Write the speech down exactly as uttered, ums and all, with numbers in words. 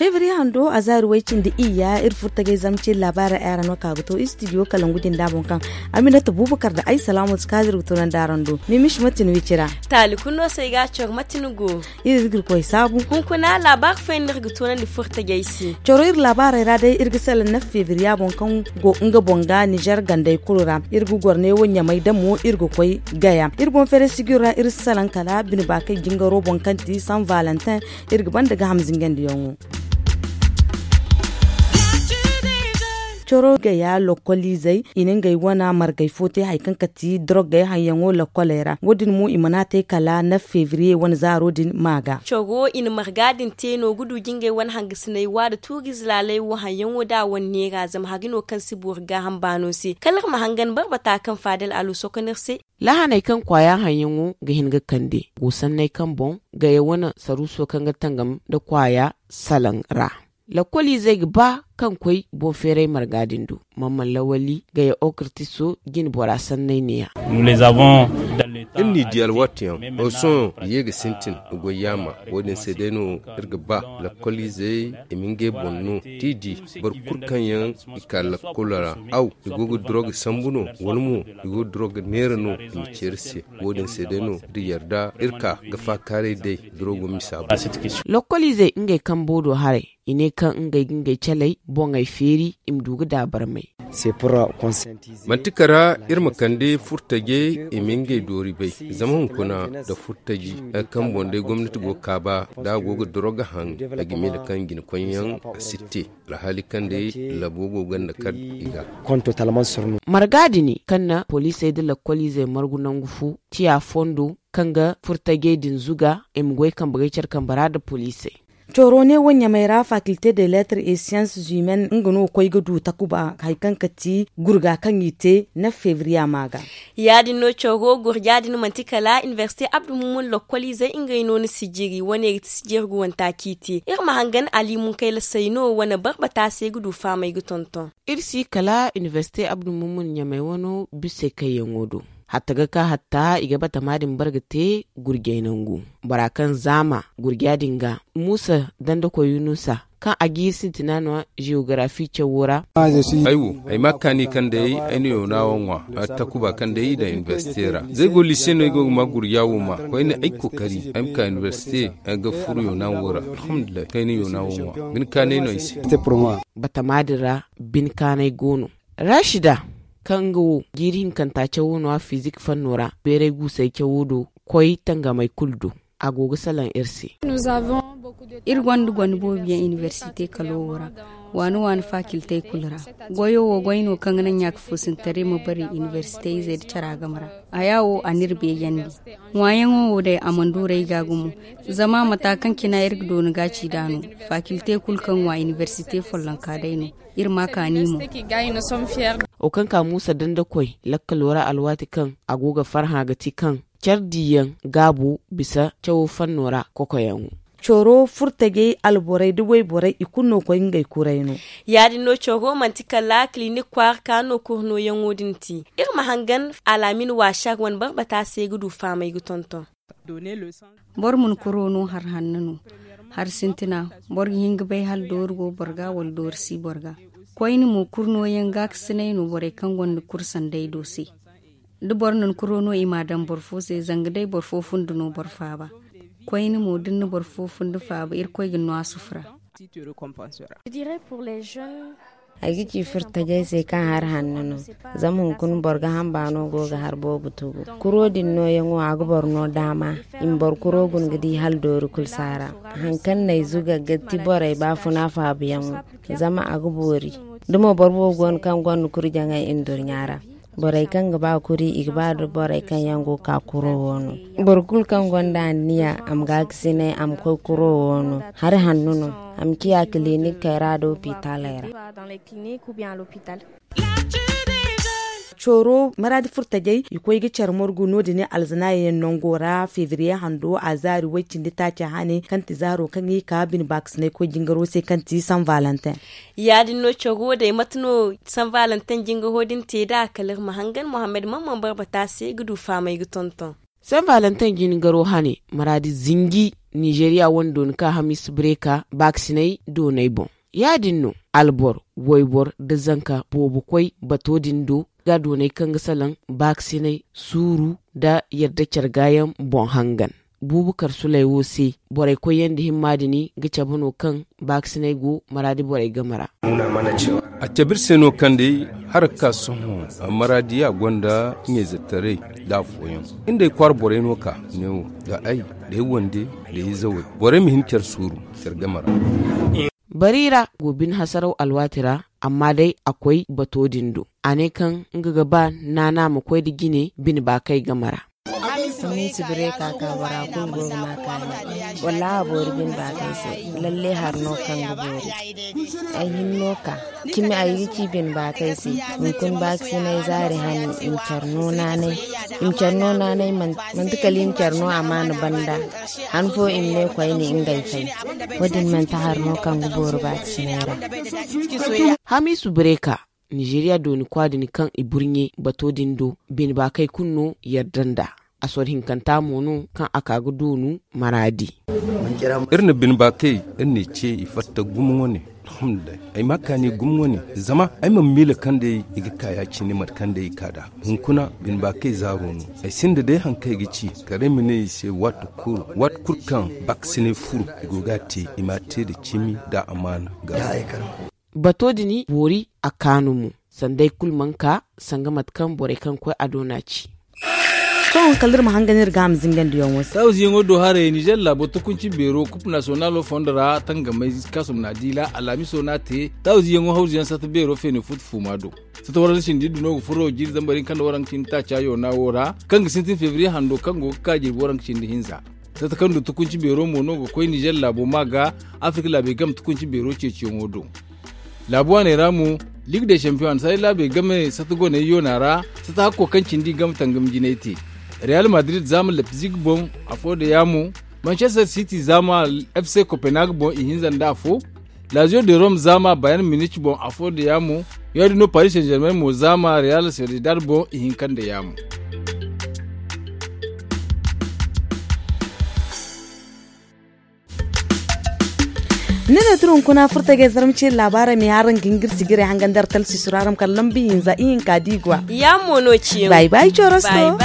Febriye hando a zaari way cindi iyya iri furo tagay zamcin laabaarey ay ra no ka ga to istidiyo kalangu din da boŋ kaŋ aminata bubakar da ay salaamu si kaadir ga tunandi araŋ do. Mimish mate ni wicira? Taali kulu no se ay ga a coro mate ni go? Iri ga iri koy saabu. Hunkuna laabaari fooyaŋ no iri ga tunandi furo tagay se. Coro iri laabaarey ra day iri ga salaŋ naf febriya boŋ kaŋ go nga boŋ ga nizer gandey kulu ra. Iri ga goro neewo ɲamay damo iri ga koy gaya iri boŋ feere sijir ra iri si salaŋ kala bine baakay jingaro boŋ kaŋ ti san valentin. Iri ga banda ga hamzingandiyaŋo. Coro gaya lokoliizey i na ngey wane margay fo te hari kaŋ ka ti dorogey haŋyaŋo lokoley ra wo- din mo i mana te kala naf febriye wane zaaro din ma ga. Coro i na marga din te no ga du jingey wane hangasiney wa nda tuuriize laaley wo haŋyaŋo da a wane neera zama hari no kaŋ si boori gaaham baano se kala iri ma hangan barbata kaŋ faadal alu sokon iri se. Laahaney kaŋ kwaaya haŋyaŋo ga hin ga kande go sanney kaŋ boŋ gaya wane saruuso kaŋ ga tangam nda kwaaya salaŋ ra. Lakkoliizey ga ba kaŋ koy boŋ feeray marga din do. Mamman lawali gaya okirtiso jine bora sanney neeya. Iri n'i di alwaati yaŋ, sohõ i ye ga sintin ga goy yaama. Wo- din se day no iri ga ba lakkoliizey i ma ngey boŋ no t'i di boro kulu kaŋ yaŋ i ka lakkolo ra aw i go ga duro ga sambu no wala mo i go ga duro ga neera no i ma ceeri se. Wo- din se day no da yarda iri ka ga faakaaray day duro go misa boŋ. Lakkoliizey ngey kambo do haray i ne kaŋ ngey ga ngey caley boŋey feeri i ma du ga daabarmey. Manti kara iri ma kande furtajey i ma ngey doori bay zama hunkuna nda furtaji kaŋ boŋ day gomnati go ga kaaba da a go ga doroga haŋ a ga miila kaŋ jinakoyyaŋ a si te alhaali kaŋ day labo go ganda kar i ga. Marga dini kaŋ na poliisey nda lakkoliizey margu nangu fo tiya fondo kaŋ ga furtajey din zuga i ma goy kambe gay care kambe ra nda poliisey. Coro ne wo ɲamay ra faculté de lettres et sciences humaines nga no koy ga du takuba hari kaŋ ka ti gurga kaŋ i te naf febriya ma ga. Ya- din no coro gurja din manti kala inibersite abdu mumun lokkoliizey ngey no ni sijiri wane ga ti sijiri ga wanta kaŋ i te iri ma hangan ali munkayla sayno wane barbata se ga du faamay ga tonton. Iri si kala inibersite abdu mumun ɲamay wano bisey kayyaŋo do. Hatta ga ka hatta i ga batama din bar ga te gurjay nangu bora kaŋ zaama gurja din ga muusa dandakoy yunusa kaŋ a ga iri sintina no jeogarafi cawo ra. Ay wo ay ma kaani kaŋ day ay na yoona wo ŋwa takuba kaŋ day i daŋ inibersite ra zay go lise no ay go ga ma gurja wo ma koyne ay kokari ay ma ka inibersite ga furo yoona wo ra alhamdulillahi kaŋ ay na yoona wo ŋwa bine kaanay no ay se. Batama din ra bine kaanay go no. Rashida kaŋ nga wo jiiri hinkanta cawo no a fizik fanno ra beeray guusay cawo do koy tangamey kulu do. A go ga salaŋ iri se. Iri gonda gonda boobo yaŋ inibersite kalo wo ra waani waani faakiltey kulu ra. Goyo wo goy no kaŋ ga naŋ ɲaaka foosintaray ma bari inibersite izey nda cara game ra. Haya wo a n'iri beejandi. Ŋwaayaŋo wo day a mana duurey ga gumo. Zama mata kaŋ cina iri ga dooni ga ci nd'a no. Faakiltey kulu kaŋ ŋwa inibersite follonka day no. Iri ma kaani mo. Wo kaŋ ka muusa dandakoy lakkalo ra alwaati kaŋ a go ga farhã ga ti kaŋ care diiyaŋ gaabo bisa cawo fanno ra kokoyaŋo. Coro furtajey alborey nda wayborey i kulu no koy ngey kuray no. Ya- din no coro manti kala kilinik kwaara ka no kurnooyaŋo din te. Iri ma hangan alaamin waasar wane barbata se ga du faamay ga tonton. Boro ma ni kuro no hari hanno no. Hari sintina boro ga hin ga bay hala doori go boro ga wala doori si boro ga. Koyne mo kurnooyaŋ gaakasinay no borey kaŋ gonda kuru sanday do se. Da boro na ni kuro no i m'a daŋ boro fo se zanga day boro fo funda no boro faaba. Koyne mo da ni na boro fo funda faaba irkoy ga ni no a sufura. Ay ga ci furtajey se kaŋ hari hanno no. Zama hunkuna boro ga hamba no go ga hari boobo tugu kuro din nooyaŋo a ga boro no daama i ma boro kuro guna ga di hala doori kulu saara. Hari kaŋ no ay zuga ga ti borey baafuna faabuyaŋo. Zama a ga boori da mo boro boobo go no kaŋ gonda kuri jaŋay i na durɲa ra. Borey kaŋ ga ba kuri i ga ba da borey kaŋ yaŋ go ga ka kuro wo no. Boro kulu kaŋ gonda anniya a ma gaakasinay a ma koy kuro wo no. Hari hanno no a ma ciya kilinik kayra da opitaley ra. Cooro maraadi furtajey i koy ga care morgu no- din alzanaaya yaŋ nango ra febriye hando a zaari way- cindi taaca hane kaŋ ti zaaro kaŋ i ka bine baakasinay koy jingaro se kaŋ ti san valentin. Ya- din no care wo day mate no san valentin jingaho din te nd'a kala iri ma hangan mohammed man man barbata se ga du faamay ga tonton. San valentin jingaro hane maraadi zinji nizeriya wane dooni ka hamiisa bireka baakasinay doonay boŋ. Ya- din no albor waybor nda zanka boobo koy bato din do ga doonay kaŋ ga salaŋ baakasinay suuru nda yadda care gaayaŋ boŋ hangan. Buubu kar sulay wo se borey koyyaŋ nda himma din ga cabe no kaŋ baakasinay go maraadi borey game ra. A cabe iri se no kaŋ day hara ga ka sohõ maraadi a gonda ɲayzetaray nda afooyaŋ. Iri nd'ay kwaara borey no ka neewo nda ay nda ay wande nda ay zawey borey ma hin care suuru care game ra. Bari ra go bine hasaraw alwaati ra amma day a koy bato din do a ne kaŋ nga ga ba naana ma koy nda jine bine baakey game ra. Hamiisa bireka ka bora kulu go ga ma kaani. Wallaahi a boori bine baakey se. Lalle hari no kaŋ ga boori. Ay hinno ka cimi ay ga ci bine baakey se. Hunkuna baakasinay zaari hane i ma care no naanay. I ma care no naanay manti kala i ma care no amaana banda. Han fo i ma ne koyne ngey fay. Wo- din manti hari no kaŋ ga boori baakasinay ra. Hamiisu bireka nizeeriya dooni kwa din kaŋ i burɲe bato din do bine baakey kulu no yadda nd'a. Asor hinkanta mo no kaŋ a ka ga doonu maraadi. Iri na bine baakey iri n'i ce i fatta gumo wane. Alhamdulillahi ay ma kaani gumo wane. Zama ay mana miila kaŋ day i ga ka ya- cine mate kaŋ day i ka nd'a. Hunkuna bine baakey zaaro no. Ay sinda day hari kaŋ ay ga ci kala ay ma ne i se waati kulu kaŋ baakasinay furo i go ga a te i m'a te nda cimi nda amaana ga. Bato din boori a kaanu mo sanda ay kulu mana ka sanga mate kaŋ borey kaŋ ga koy a do no a ci. Sohõ kala iri ma hangan iri ga a ma zingandiyaŋo se. Tawziyaŋo do haray nizer laabo tukunci beero kup nasiyonalo fondo ra tangamay kaasum na diila alhamiso no a te. Tawziyaŋo hawzuyaŋ sata beero feene futu fuuma do. Sata waranka cindi iddu no ga furo jiiri zambar hinka nda waranka cindi taaca yoona wo ra kaŋ ga sintin febriye hando kaŋ go ga ka jirbi waranka cindi hinza. Sata kaŋ du tukunci beero mo no ga koy nizer laabo ma ga afirka laabey game tukunci beero ceeciyaŋo do. Laabu waaney ra mo, ligue de champion a na saray laabey game sata goney yoona ra. Sata hakko kaŋ cindi game tangam jinay te. Real madrid zaama leipzig boŋ, afo nda yaamo. Manchester city zaama fc copenhague boŋ ihinza nda afo. Lazio de rome zaama bayern munich boŋ afo nda yaamo. Ya- din no paris saint germain mo zaama real sociedad boŋ ihinka nda yaamo. Ni no tun hunkuna furta ga ay zarma ce labaarey ma ye araŋ ga hin ga iri sijirey hangan da araŋ talsi sura araŋ ma kala lambu hinza ihinka da i go a. Yaamo no ciyaŋ. Bay bay corosto.